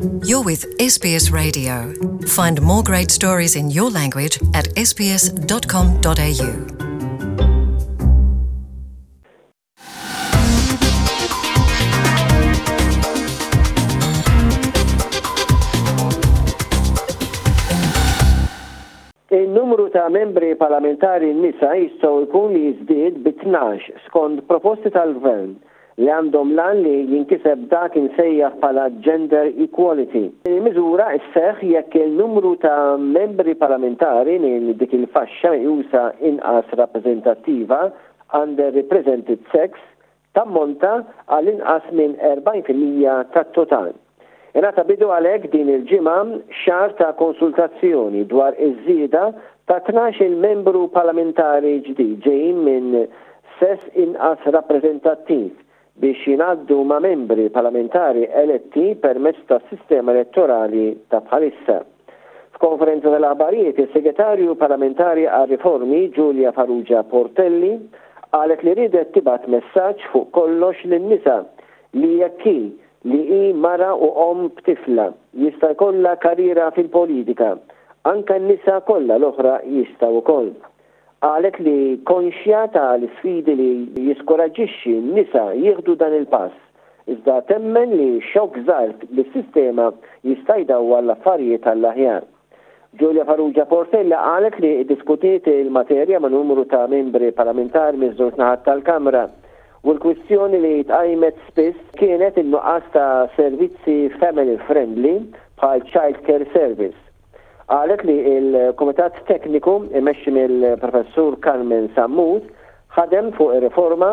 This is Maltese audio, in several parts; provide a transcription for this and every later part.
You're with SBS Radio. Find more great stories in your language at sbs.com.au. In-numru ta' membri parlamentari nisa jistgħu jkun li jiżdied bi 12 skont proposti tal-Gvern li għandhom l-għan li jinkiseb dak imsejjaħ bħala gender equality. Il-miżura sseħħ jekk il-numru ta' membri parlamentari minn dik il-faxxa meqjusa inqas rappreżentattiva, underrepresented sex, tammonta għal inqas minn 40% tat-total. Ingħata bidu għalhekk din il-ġimgħa xahar ta' konsultazzjoni dwar iż-żieda ta' 12-il membru parlamentari ġdid ġejjin minn sess inqas rappreżentattiv biex jingħaddu ma' membri parlamentari eletti permezz tas-sistema elettorali ta' bħalissa. F'konferenza tal-aħbarijiet, is-Segretarju Parlamentari għar-Riformi Julia Farrugia Portelli qalet li riedet tibgħat messaġġ fuq kollox lin-nisa li jekk hi li hi mara u omm b'tifla, jista' jkollha karriera fil-politika, anke n-nisa kollha l-oħra jistgħu wkoll. Qalet li konxja ta' l-isfidi li jiskoraġġixxi n-nisa jieħdu dan il-pass, iżda temmen li xokk żgħir lis-sistema jista' jdawwar l-affarijiet għall-aħjar. Julia Farrugia Portella qalet li ddiskutiet il-materja ma' numru ta' membri parlamentari miż-żewġ naħat tal-Kamra u l-kwistjoni li tqajmet spiss kienet in-nuqqas ta' servizzi family friendly bħal child care service. Qalet li l-Kumitat Tekniku imexxi mill-Professur Carmen Sammut ħadem fuq ir-riforma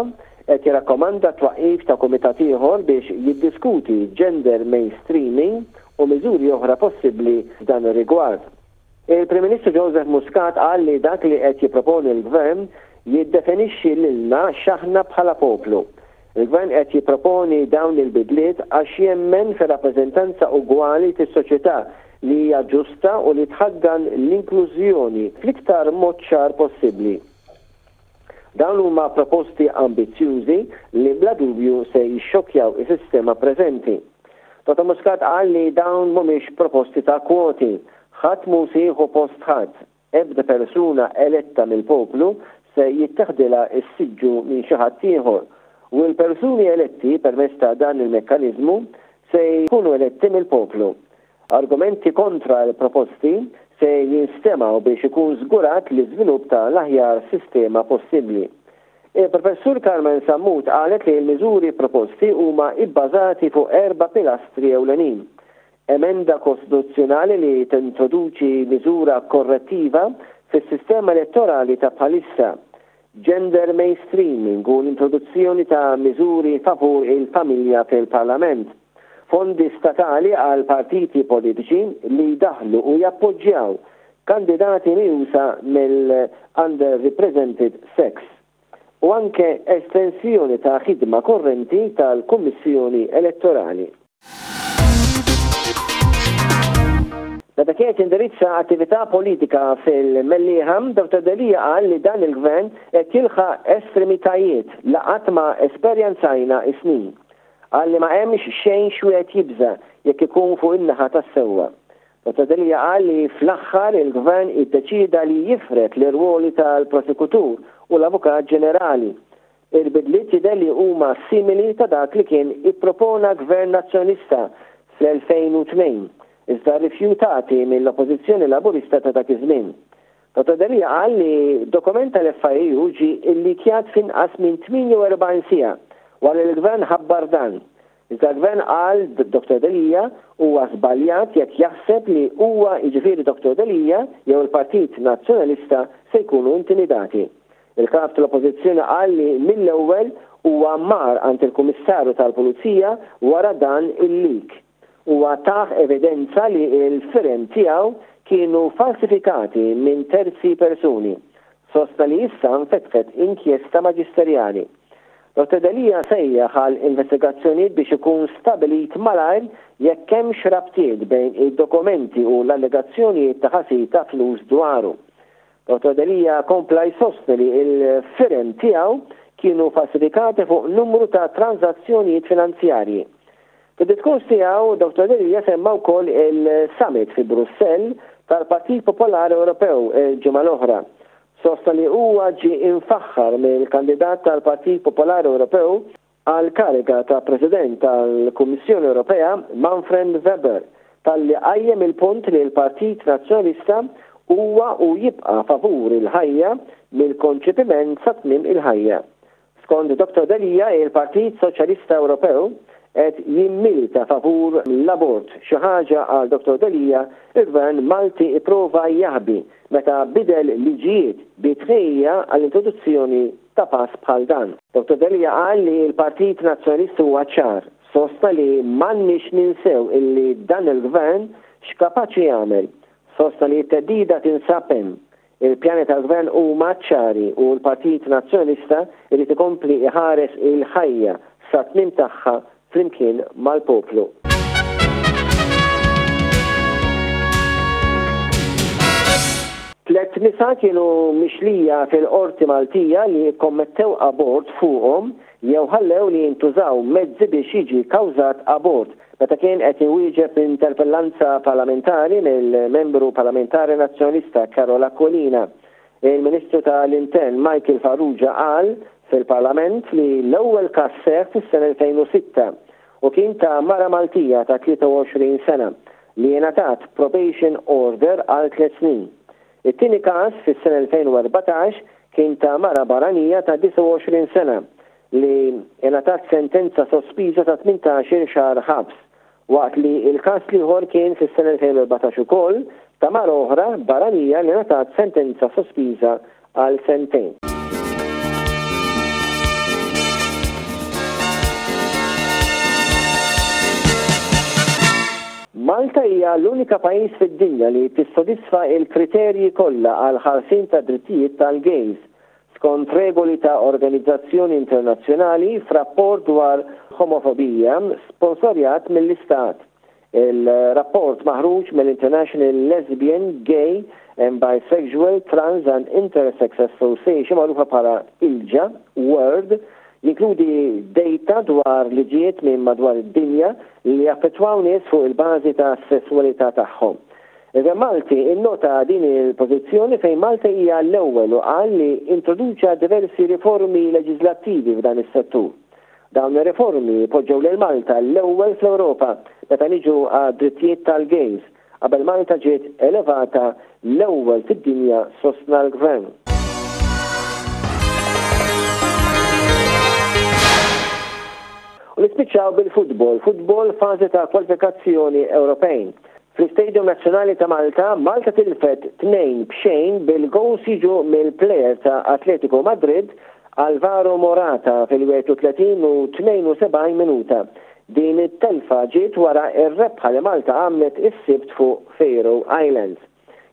qed jirrakkomanda t-twaqqif ta' kumitat ieħor biex jiddiskuti gender mainstreaming u miżuri oħra possibbli f'dan ir-rigward. Il-Prim Ministru Joseph Muscat qal li dak li qed jipproponi l-Gvern jiddefinixxi lilna x'aħna bħala poplu. Il-Gvern qed jipproponi dawn il-bidliet għax jemmen fir-rappreżentanza ugwali fis-soċjetà li hija ġusta u li tħaddan l-inklużjoni fl-iktar mod ċar possibbli. Dawn huma proposti ambizzjużi li bla dubju se jixxokkjaw is-sistema preżenti. Dottor Muscat qal li dawn mhumiex proposti ta' kwoti. Ħadd mhu se jieħu post ħadd. Ebda persuna eletta mill-poplu se jitteħdilha s-siġġu minn xi ħadd ieħor. U l-persuni eletti permezz ta' dan il-mekkaniżmu se jkunu eletti mill-poplu. Argumenti kontra l-proposti se jinstemgħu biex ikun żgurat l-iżvilupp ta' l-aħjar sistema possibbli. Il-Professur Carmen Sammut qalet li l-miżuri proposti huma ibbażati fuq erba' pilastri ewlenin, emenda kostituzzjonali li tintroduċi miżura korrettiva fis-sistema elettorali ta' bħalissa, gender mainstreaming u l-introduzzjoni ta' miżuri favur il-familja fil-Parlament, fondi statali għal partiti politiċi li jdaħħlu u jappoġġjaw kandidati meqjusa mill-underrepresented sex, u anke estensjoni ta' ħidma korrenti tal-Kummissjoni Elettorali. Meta kien qed jindirizza attività politika fil-Mellieħa, Dottor Delia qal li dan il-Gvern qed jilħaq estremitajiet li qatt ma esperjenzajna is-snin. Qal li ma hemmx xejn x'wieħed jibża' jekk ikun fuq in-naħa tas-sewwa. Dottor Delia qal li fl-aħħar il-Gvern iddeċieda li jifred l-irwoli tal-Prosekutur u l-Avukat Ġenerali. Il-bidliet jidher li huma simili ta' dak li kien ippropona Gvern Nazzjonalista fl-2002, iżda rifjutati mill-Oppożizzjoni Laburista ta' dak iż-żmien. Dottor Delia qal li dokument tal-FIAU ġie illikjat f'inqas minn 48 siegħa wara li l-Gvern ħabbar dan. Iżda l-Gvern qal Dottor Delia huwa żbaljat jekk jaħseb li huwa jiġifieri Dottor Delia jew il-Partit Nazzjonalista se jkunu intimidati. Il-Kap tal-Oppożizzjoni qal li mill-ewwel huwa mar għand il-Kummissarju tal-Pulizija wara dan il-leak. Huwa tah evidenza li l-firem tiegħu kienu falsifikati minn terzi persuni. Sostna li issa nfetħet inkjesta maġisterjali. Dottor Delia sejjaħ għal investigazzjonijiet biex ikun stabilit malajr jekk hemmx rabtiet bejn id-dokumenti u l-allegazzjonijiet ta' ħasil ta' flus dwaru. Dottor Delia kompla jsostni li l-firem tiegħu kienu falsifikati fuq numru ta' tranżazzjonijiet finanzjarji. Fid-diskors tiegħu, Dottor Delia semma wkoll il-summit fi Brussell tal-Partit Popolari Ewropew il-ġimgħa l-oħra. Sostna li huwa ġie imfaħħar mill-kandidat tal-Partit Popolari Ewropew għall-kariga ta' President tal-Kummissjoni Ewropea Manfred Weber talli qajjem il-punt li l-Partit Nazzjonalista huwa u jibqa' favur il-ħajja mill-konċepiment sa tmiem il-ħajja. Skont Dottor Delia, il-Partit Soċjalista Ewropew qed jimmilita favur l-abort, xi ħaġa għal Dottor Delia il-Gvern Malti ipprova jaħbi meta bidel liġijiet bi tħejjija għall-introduzzjoni ta' pass bħal dan. Dottor Delia qal li l-Partit Nazzjonalista huwa ċar, sostna li m'għandniex ninsew illi dan il-Gvern x'kapaċi jagħmel. Sostna li t-theddida tinsab hemm. Il-pjani tal-Gvern huma ċari u l-Partit Nazzjonalista jrid ikompli jħares il-ħajja sat-tmiem tagħha flimkien mal-poplu. Tlett nisa kienu mixlija fil-Qorti Maltija li kkommettew abort fuqhom jew ħallew li jintużaw mezzi biex jiġi kkawżat abort meta kien qed iwieġeb interpellanza parlamentari mill-Membru Parlamentari Nazzjonalista Karol Aquilina. Il-Ministru ta' l-Intern Michael Farrugia qal fil-Parlament li l-ewwel każ seħħ fis-sena 2006 u kien ta' mara Maltija ta' 23 sena li ingħatat probation order għal tliet snin. It-tieni każ fis-sena 2014 kien ta' mara barranija ta' 29 sena li ingħatat sentenza sospiża ta' 18-il xahar ħabs, waqt li l-każ l-ieħor kien fis-sena 2014 ukoll ta' mara oħra barranija li ngħatat sentenza sospiża għal sentejn. Malta hija l-unika pajjiż fid-dinja li tissodisfa l-kriterji kollha għall-ħarsien tad-drittijiet tal-gays, skont regoli ta' organizzazzjoni internazzjonali f'rapport dwar homofobija sponsorjat mill-Istat. Il-rapport maħruġ mill-International Lesbian, Gay and Bisexual, Trans and Intersex Association magħrufa bħala ILGA World jinkludi dejta dwar liġijiet minn madwar id-dinja li jaffettwaw nies fuq il-bażi tas-sesswalità tagħhom. Il-Gvern Malti innota din il-pożizzjoni fejn Malta hija l-ewwel u qal li introduċa diversi riformi leġiżlattivi f'dan is-settur. Dawn ir-riformi poġġew lil Malta l-ewwel fl-Ewropa meta niġu għad-drittijiet tal-gays, qabel Malta ġiet elevata l-ewwel fid-dinja sostna l-Gvern. U nispiċċaw bil-futbol, futbol fażi ta' kwalifikazzjoni Ewropejn. Fl-Istadium Nazzjonali ta' Malta, Malta tilfet 2 b'xejn bil-gowls jiġu mill-plejer ta' Atletico Madrid, Alvaro Morata fil-31 u 72 minuta. Din it-telfa ġiet wara r-rebħa li Malta għamlet is-Sibt fuq Faroe Islands.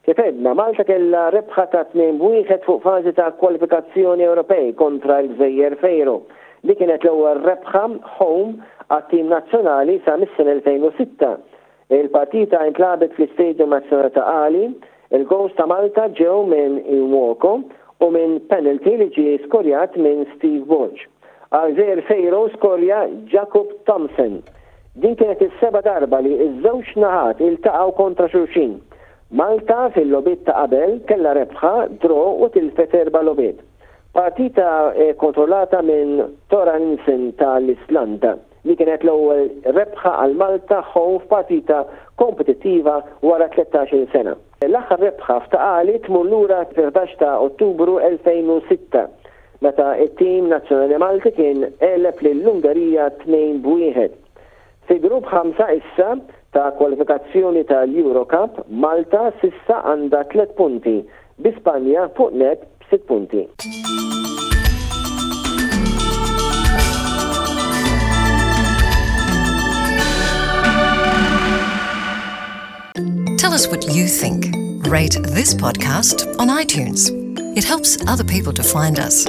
Kif għedna, Malta kellha rebħa ta' 2 b'wieħed fuq fażi ta' kwalifikazzjoni Ewropej kontra l-Gżejjer Faroe. Din kienet l-ewwel rebħa home għat-tim nazzjonali sa mis-sena 2006. Il-partita intlagħbet fl-Istadium Nazzjonali ta' Qali. Il-gowls ta' Malta ġew minn Nwoko u minn penalty li ġie skorjat minn Steve Borg. Għal Gżejjer Faroe skorja Jakub Thompson. Din kienet is-seba' darba li ż-żewġ naħat iltaqgħu kontra xulxin. Malta fil-logħbiet ta' qabel kellha rebħa, draw u tilfet erba' logħbiet. Partita kontrollata minn Thorarinsen ta' l-Islanda. Li kienet l-ewwel rebħa għal Malta home f'partita kompetittiva wara 13-il sena. L-aħħar rebħa f'Ta' Qali tmur lura fil-11 ta' Ottubru 2006, meta t-tim nazzjonali Malti kien għeleb lill-Ungerija 2 b'wieħed. Fi Grupp 5 issa ta' kwalifikazzjoni tal-Euro Cup, Malta s'issa għandha tlett punti, bi Spanja fuq nett b'sitt punti. Tell us what you think. Rate this podcast on iTunes. It helps other people to find us.